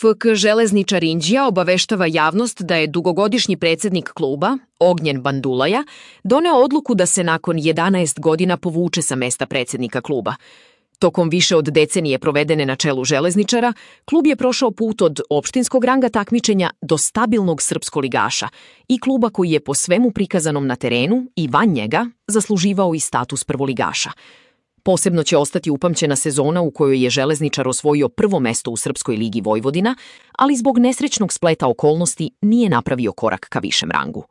FK Železničar Inđija obaveštava javnost da je dugogodišnji predsjednik kluba, Ognjen Bandulaja, doneo odluku da se nakon 11 godina povuče sa mesta predsjednika kluba. Tokom više od decenije provedene na čelu Železničara, klub je prošao put od opštinskog ranga takmičenja do stabilnog srpskoligaša i kluba koji je po svemu prikazanom na terenu i van njega zasluživao i status prvoligaša. Posebno će ostati upamćena sezona u kojoj je Železničar osvojio prvo mesto u Srpskoj ligi Vojvodina, ali zbog nesrećnog spleta okolnosti nije napravio korak ka višem rangu.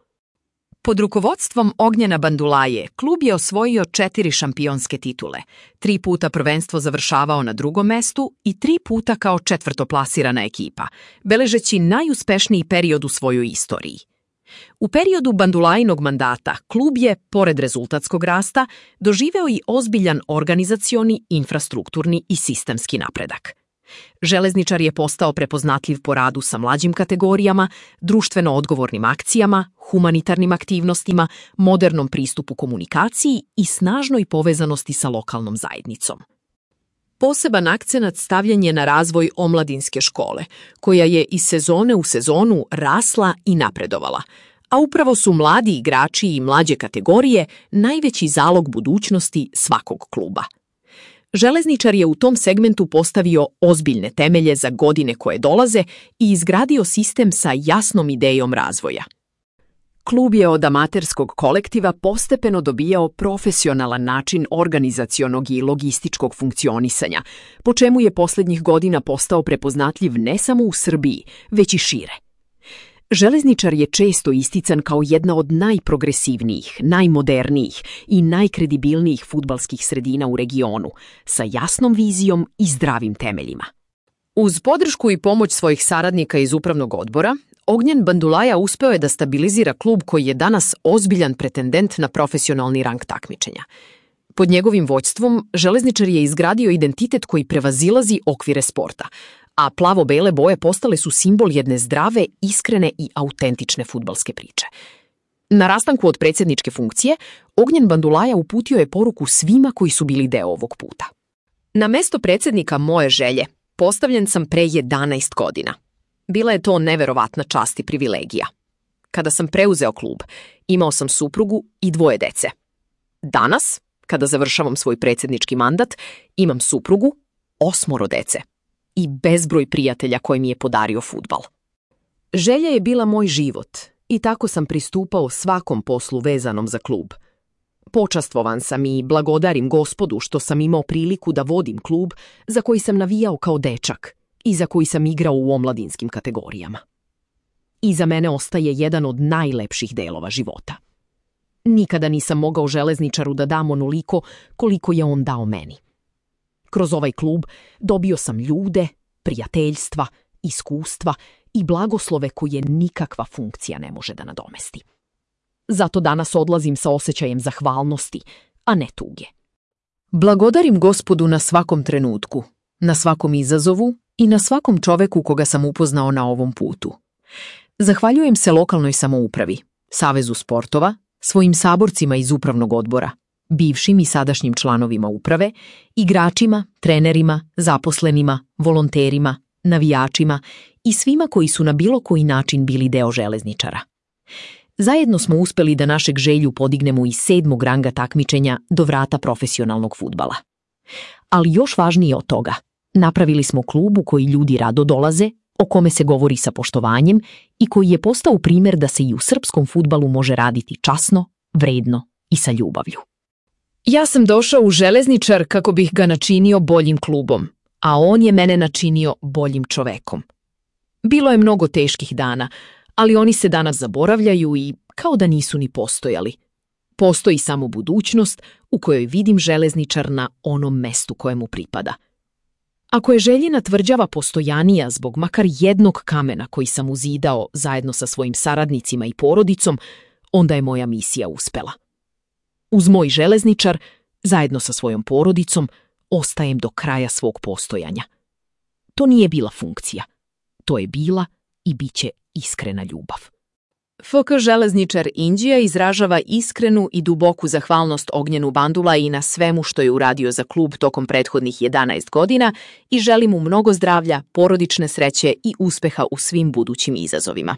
Pod rukovodstvom Ognjena Bandulaje, klub je osvojio 4 šampionske titule, 3 puta prvenstvo završavao na drugom mestu i 3 puta kao četvrtoplasirana ekipa, beležeći najuspešniji period u svojoj istoriji. U periodu Bandulajinog mandata klub je, pored rezultatskog rasta, doživeo i ozbiljan organizacioni, infrastrukturni i sistemski napredak. Železničar je postao prepoznatljiv po radu sa mlađim kategorijama, društveno odgovornim akcijama, humanitarnim aktivnostima, modernom pristupu komunikaciji i snažnoj povezanosti sa lokalnom zajednicom. Poseban akcenat stavljen je na razvoj omladinske škole, koja je iz sezone u sezonu rasla i napredovala, a upravo su mladi igrači i mlađe kategorije najveći zalog budućnosti svakog kluba. Železničar je u tom segmentu postavio ozbiljne temelje za godine koje dolaze i izgradio sistem sa jasnom idejom razvoja. Klub je od amaterskog kolektiva postepeno dobijao profesionalan način organizacionog i logističkog funkcionisanja, po čemu je posljednjih godina postao prepoznatljiv ne samo u Srbiji, već i šire. Železničar je često istican kao jedna od najprogresivnijih, najmodernijih i najkredibilnijih fudbalskih sredina u regionu, sa jasnom vizijom i zdravim temeljima. Uz podršku i pomoć svojih saradnika iz upravnog odbora, Ognjen Bandulaja uspeo je da stabilizira klub koji je danas ozbiljan pretendent na profesionalni rang takmičenja. Pod njegovim vođstvom Železničar je izgradio identitet koji prevazilazi okvire sporta, a plavo-bele boje postale su simbol jedne zdrave, iskrene i autentične fudbalske priče. Na rastanku od predsjedničke funkcije, Ognjen Bandulaja uputio je poruku svima koji su bili deo ovog puta. Na mesto predsjednika moje želje postavljen sam pre 11 godina. Bila je to neverovatna čast i privilegija. Kada sam preuzeo klub, imao sam suprugu i 2 dece. Danas, kada završavam svoj predsjednički mandat, imam suprugu, 8 dece i bezbroj prijatelja koji mi je podario fudbal. Želja je bila moj život i tako sam pristupao svakom poslu vezanom za klub. Počastvovan sam i blagodarim Gospodu što sam imao priliku da vodim klub za koji sam navijao kao dečak i za koji sam igrao u omladinskim kategorijama. Iza mene ostaje jedan od najlepših delova života. Nikada nisam mogao Železničaru da dam onoliko koliko je on dao meni. Kroz ovaj klub dobio sam ljude, prijateljstva, iskustva i blagoslove koje nikakva funkcija ne može da nadomesti. Zato danas odlazim sa osjećajem zahvalnosti, a ne tuge. Blagodarim Gospodu na svakom trenutku, na svakom izazovu i na svakom čoveku koga sam upoznao na ovom putu. Zahvaljujem se lokalnoj samoupravi, Savezu sportova, svojim saborcima iz upravnog odbora, bivšim i sadašnjim članovima uprave, igračima, trenerima, zaposlenima, volonterima, navijačima i svima koji su na bilo koji način bili deo Železničara. Zajedno smo uspeli da našeg želju podignemo iz 7. ranga takmičenja do vrata profesionalnog fudbala. Ali još važnije od toga, napravili smo klub u koji ljudi rado dolaze, o kome se govori sa poštovanjem i koji je postao primjer da se i u srpskom fudbalu može raditi časno, vredno i sa ljubavlju. Ja sam došao u Železničar kako bih ga načinio boljim klubom, a on je mene načinio boljim čovekom. Bilo je mnogo teških dana, ali oni se danas zaboravljaju i kao da nisu ni postojali. Postoji samo budućnost u kojoj vidim Železničar na onom mestu kojemu pripada. Ako je Željina tvrđava postojanija zbog makar jednog kamena koji sam uzidao zajedno sa svojim saradnicima i porodicom, onda je moja misija uspela. Uz moj Železničar, zajedno sa svojom porodicom, ostajem do kraja svog postojanja. To nije bila funkcija. To je bila i bit će iskrena ljubav. FK železničar Inđija izražava iskrenu i duboku zahvalnost Ognjenu Bandulaji na svemu što je uradio za klub tokom prethodnih 11 godina i želi mu mnogo zdravlja, porodične sreće i uspeha u svim budućim izazovima.